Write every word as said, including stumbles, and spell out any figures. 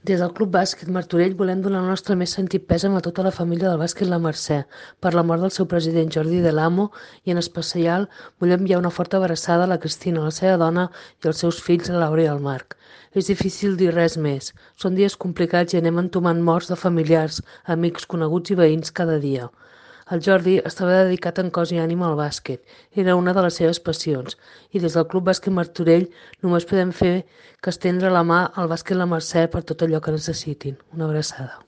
Des del Club Bàsquet Martorell volem donar el nostre més sentit pèsam a tota la família del bàsquet La Mercè per la mort del seu president Jordi Del Amo i en especial vull enviar una forta abraçada a la Cristina, la seva dona i els seus fills, la Laura i el Marc. És difícil dir res més. Són dies complicats i anem entomant morts de familiars, amics, coneguts i veïns cada dia. El Jordi estava dedicat en cos i ànima al bàsquet, era una de les seves passions, i des del Club Bàsquet Martorell només podem fer que estendre la mà al bàsquet La Mercè per tot allò que necessitin. Una abraçada.